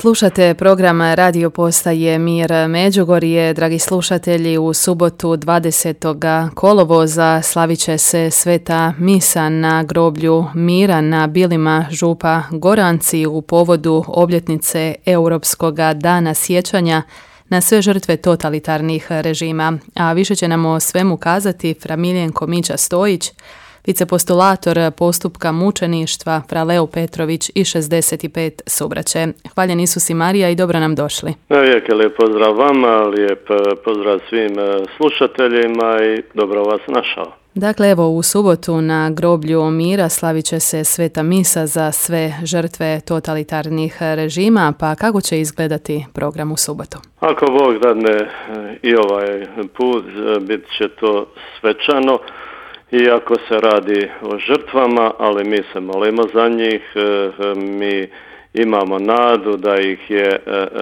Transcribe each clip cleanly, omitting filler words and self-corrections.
Slušate program Radio Postaje Mir Međugorje. Dragi slušatelji, u subotu 20. kolovoza slavit će se sveta misa na groblju Mira na Bilima župa Goranci u povodu obljetnice Europskog dana sjećanja na sve žrtve totalitarnih režima. A više će nam o svemu kazati fra Miljenko Mića Stojić, vicepostulator postupka mučeništva fra Leo Petrović i 65 subraće. Hvaljen Isus i Marija i dobro nam došli. Lijep pozdrav vama, lijep pozdrav svim slušateljima i dobro vas našao. Dakle, evo u subotu na groblju Mira slavit će se sveta misa za sve žrtve totalitarnih režima, pa kako će izgledati program u subotu? Ako Bog dadne i ovaj put, bit će to svečano. Iako se radi o žrtvama, ali mi se molimo za njih, mi imamo nadu da ih je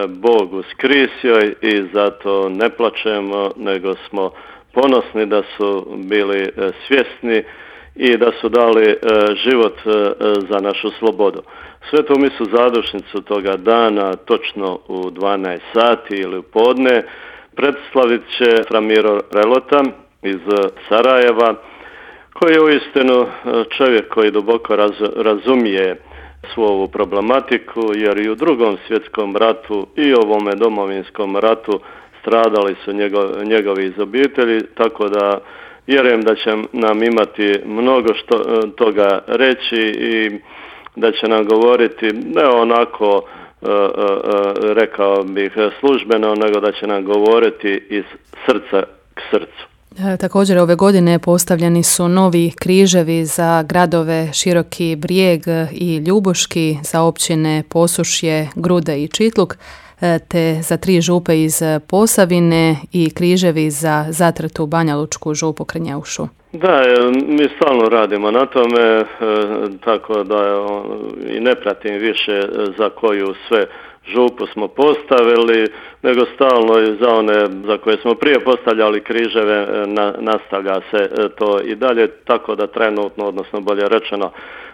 Bog uskrisio i zato ne plačemo, nego smo ponosni da su bili svjesni i da su dali život za našu slobodu. Svetu misu zadušnicu toga dana, točno u 12 sati ili u podne, predslavit će fra Miro Relota iz Sarajeva, koji je uistinu čovjek koji duboko razumije svu ovu problematiku, jer i u Drugom svjetskom ratu i ovome Domovinskom ratu stradali su njegovi iz obitelji, tako da vjerujem da će nam imati mnogo toga reći i da će nam govoriti ne onako, rekao bih, službeno, nego da će nam govoriti iz srca k srcu. Također ove godine postavljeni su novi križevi za gradove Široki Brijeg i Ljubuški, za općine Posušje, Grude i Čitluk, te za 3 župe iz Posavine i križevi za zatrtu Banjalučku župu Krnjeušu. Da, mi stalno radimo na tome, tako da i ne pratim više za koju sve župu smo postavili, nego stalno i za one za koje smo prije postavljali križeve nastavlja se to i dalje, tako da trenutno, odnosno bolje rečeno,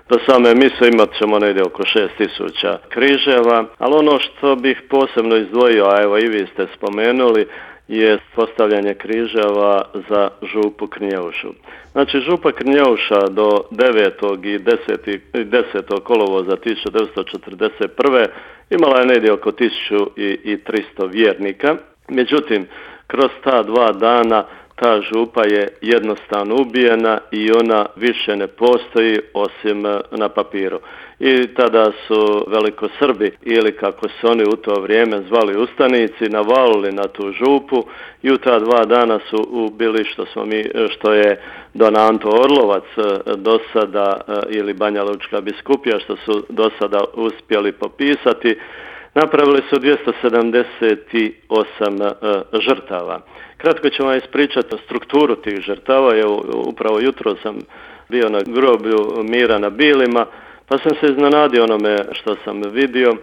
do same mise imat ćemo negdje oko 6000 križeva, ali ono što bih posebno izdvojio, a evo i vi ste spomenuli, je postavljanje križeva za župu Krnjeušu. Znači, župa Krnjeuša do 9. i 10. kolovoza 1941. imala je negdje oko 1300 vjernika. Međutim, kroz ta 2 dana ta župa je jednostavno ubijena i ona više ne postoji osim na papiru. I tada su velikosrbi, ili kako se oni u to vrijeme zvali ustanici, navalili na tu župu i u ta 2 dana su ubili što je Don Anto Orlovac do sada, ili Banjalučka biskupija, što su do sada uspjeli popisati. Napravili su 278 žrtava. Kratko ću vam ispričati strukturu tih žrtava. Upravo jutro sam bio na groblju Mira na Bilima, pa sam se iznenadio onome što sam vidio.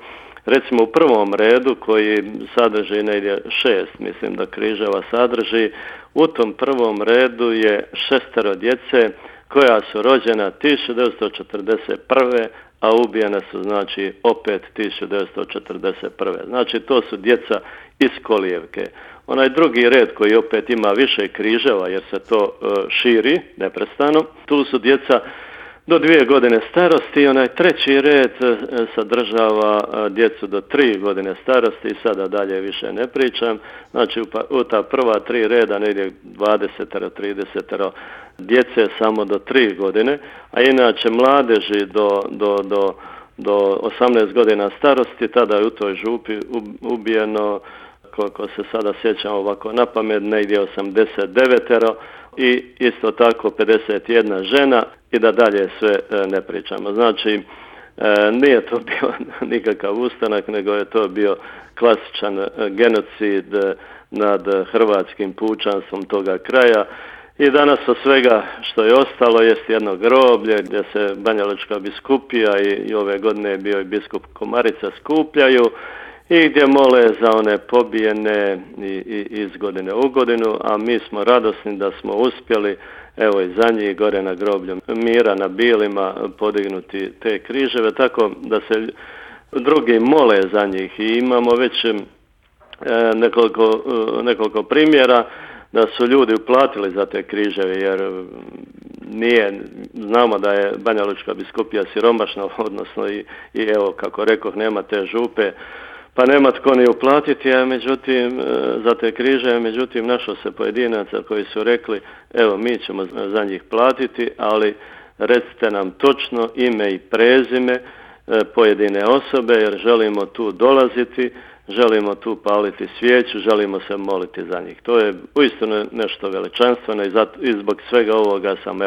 Recimo u prvom redu, koji sadrži negdje 6, mislim da križeva sadrži, u tom prvom redu je 6 djece koja su rođena 1941. a ubijene su znači opet 1941. Znači to su djeca iz kolijevke. Onaj drugi red koji opet ima više križeva jer se to širi neprestano, tu su djeca do 2 godine starosti. Onaj treći red sadržava djecu do 3 godine starosti i sada dalje više ne pričam. Znači u ta prva 3 reda negdje 20-30 djece samo do 3 godine, a inače mladeži do 18 godina starosti, tada je u toj župi ubijeno, koliko se sada sjećam ovako na pamet, negdje 89 i isto tako 51 žena i da dalje sve ne pričamo. Znači, nije to bio nikakav ustanak, nego je to bio klasičan genocid nad hrvatskim pučanstvom toga kraja. I danas od svega što je ostalo jest jedno groblje gdje se Banjalučka biskupija i ove godine je bio i biskup Komarica skupljaju i gdje mole za one pobijene iz godine u godinu, a mi smo radosni da smo uspjeli, evo i za njih gore na groblju Mira na Bilima podignuti te križeve, tako da se drugi mole za njih i imamo već nekoliko primjera da su ljudi uplatili za te križeve, jer znamo da je Banja Lučka biskupija siromašna, odnosno i evo, kako rekoh, nema te župe, pa nema tko ni uplatiti, a međutim, za te križe, međutim, našlo se pojedinaca koji su rekli, evo, mi ćemo za njih platiti, ali recite nam točno ime i prezime pojedine osobe, jer želimo tu dolaziti, želimo tu paliti svijeću, želimo se moliti za njih. To je uistinu nešto veličanstveno i zbog svega ovoga sam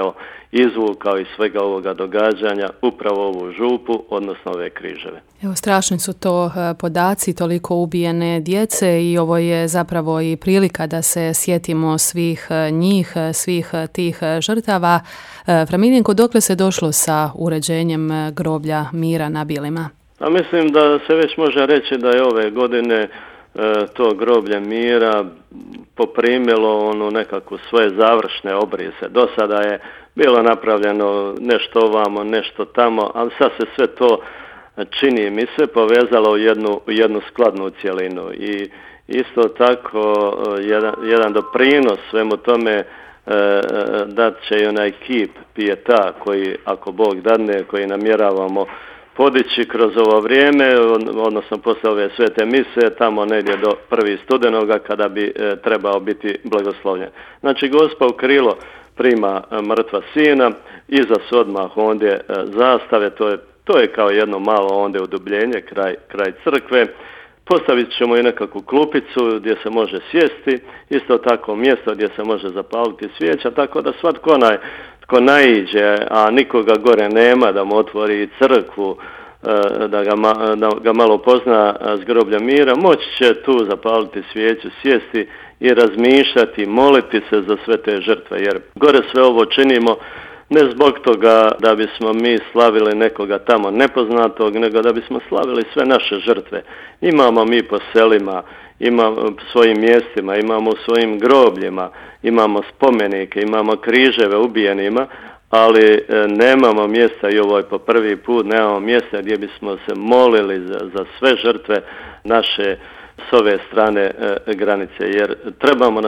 izvukao iz svega ovoga događanja upravo ovu župu, odnosno ove križeve. Evo, strašni su to podaci, toliko ubijene djece i ovo je zapravo i prilika da se sjetimo svih njih, svih tih žrtava. Fra Miljenko, dokle se došlo sa uređenjem groblja mira na Bilima? A mislim da se već može reći da je ove godine to groblje mira poprimilo nekako svoje završne obrise. Do sada je bilo napravljeno nešto ovamo, nešto tamo, ali sad se sve to, čini mi se, povezalo u jednu skladnu cjelinu. I isto tako jedan doprinos svemu tome dat će i onaj kip Pieta koji, ako Bog dadne, koji namjeravamo podići kroz ovo vrijeme, odnosno poslije ove svete mise, tamo negdje do 1. studenoga kada bi trebao biti blagoslovljen. Znači, Gospa u krilo prima mrtva sina, iza su odmah ondje zastave, to je kao jedno malo ondje udubljenje kraj crkve. Postavit ćemo i nekakvu klupicu gdje se može sjesti, isto tako mjesto gdje se može zapaliti svijeća, tako da svatko tko naiđe, a nikoga gore nema da mu otvori crkvu, da ga malo pozna s groblja mira, moći će tu zapaliti svijeću, sjesti i razmišljati, moliti se za sve te žrtve, jer gore sve ovo činimo ne zbog toga da bismo mi slavili nekoga tamo nepoznatog, nego da bismo slavili sve naše žrtve. Imamo mi po selima, imamo u svojim mjestima, imamo u svojim grobljima, imamo spomenike, imamo križeve ubijenima, ali nemamo mjesta i ovo je po prvi put, nemamo mjesta gdje bismo se molili za sve žrtve naše s ove strane granice, jer trebamo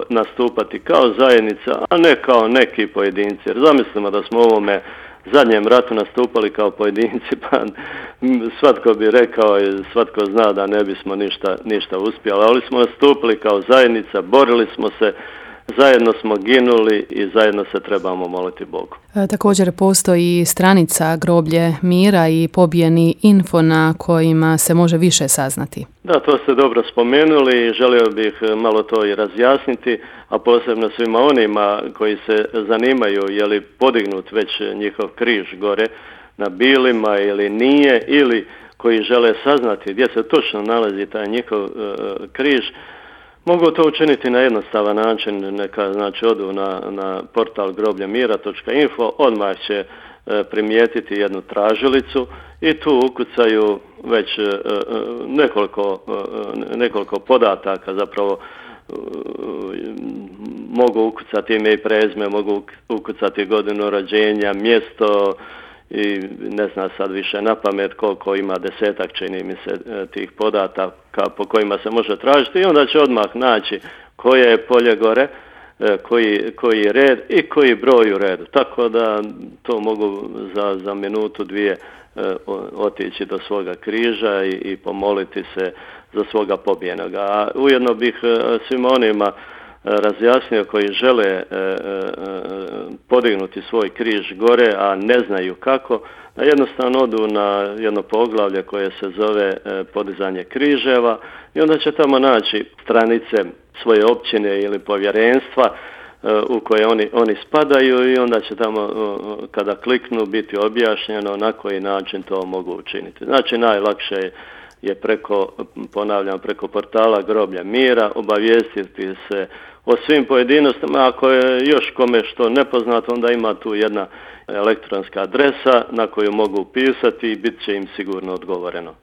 nastupati kao zajednica, a ne kao neki pojedinci. Jer zamislimo da smo u ovome zadnjem ratu nastupali kao pojedinci, pa svatko bi rekao i svatko zna da ne bismo ništa uspjeli, ali smo nastupili kao zajednica, borili smo se, zajedno smo ginuli i zajedno se trebamo moliti Bogu. Također postoji stranica Groblje mira i pobijeni info na kojima se može više saznati. Da, to ste dobro spomenuli i želio bih malo to i razjasniti, a posebno svima onima koji se zanimaju je li podignut već njihov križ gore na Bilima ili nije, ili koji žele saznati gdje se točno nalazi taj njihov križ. Mogu to učiniti na jednostavan način, neka znači odu na portal grobljemira.info, odmah će primijetiti jednu tražilicu i tu ukucaju već nekoliko podataka, zapravo mogu ukucati ime i prezime, mogu ukucati godinu rođenja, mjesto i ne znam sad više na pamet koliko ima, 10-ak čini mi se tih podataka po kojima se može tražiti i onda će odmah naći koje je polje gore, koji red i koji broj u redu. Tako da to mogu za minutu, dvije otići do svoga križa i pomoliti se za svoga pobijenoga. A ujedno bih svima onima razjasnio koji žele podignuti svoj križ gore, a ne znaju kako, da jednostavno odu na jedno poglavlje koje se zove podizanje križeva i onda će tamo naći stranice svoje općine ili povjerenstva u koje oni spadaju i onda će tamo kada kliknu biti objašnjeno na koji način to mogu učiniti. Znači najlakše je preko portala Groblja mira obavijestiti se o svim pojedinostima. Ako je još kome što nepoznato, onda ima tu jedna elektronska adresa na koju mogu upisati i bit će im sigurno odgovoreno.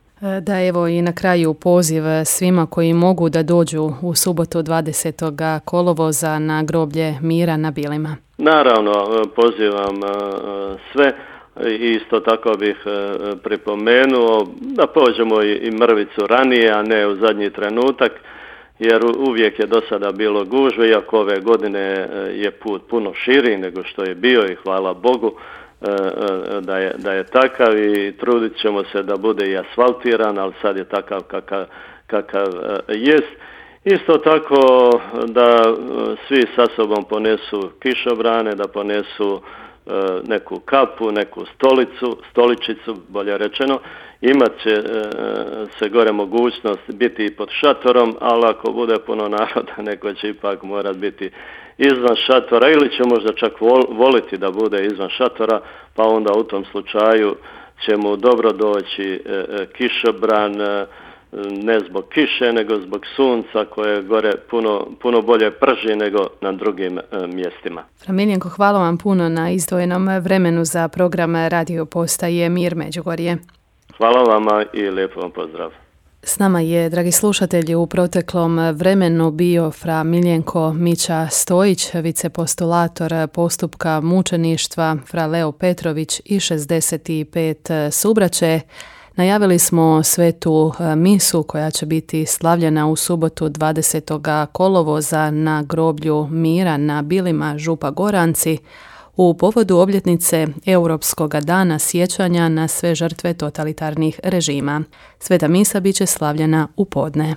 Da, evo i na kraju poziv svima koji mogu da dođu u subotu 20. kolovoza na Groblje mira na Bilima. Naravno, pozivam sve, Isto tako bih pripomenuo da pođemo i mrvicu ranije, a ne u zadnji trenutak, jer uvijek je do sada bilo gužve, iako ove godine je put puno širi nego što je bio i hvala Bogu da je takav i trudit ćemo se da bude i asfaltiran, ali sad je takav kakav jest. Isto tako da svi sa sobom ponesu kišobrane, da ponesu neku kapu, neku stoličicu, bolje rečeno. Imat će se gore mogućnost biti i pod šatorom, ali ako bude puno naroda, neko će ipak morati biti izvan šatora ili će možda čak voliti da bude izvan šatora, pa onda u tom slučaju će mu dobro doći kišobran, ne zbog kiše, nego zbog sunca koje gore puno bolje prži nego na drugim mjestima. Miljenko, hvala vam puno na izdvojenom vremenu za program Radio Postaje Mir Međugorje. Hvala vama i lijepo vam pozdrav. S nama je, dragi slušatelji, u proteklom vremenu bio fra Miljenko Mića Stojić, vicepostulator postupka mučeništva, fra Leo Petrović i 65 subraće. Najavili smo svetu misu koja će biti slavljena u subotu 20. kolovoza na groblju Mira na Bilima Župa Goranci u povodu obljetnice Europskog dana sjećanja na sve žrtve totalitarnih režima. Sveta misa bit će slavljena u podne.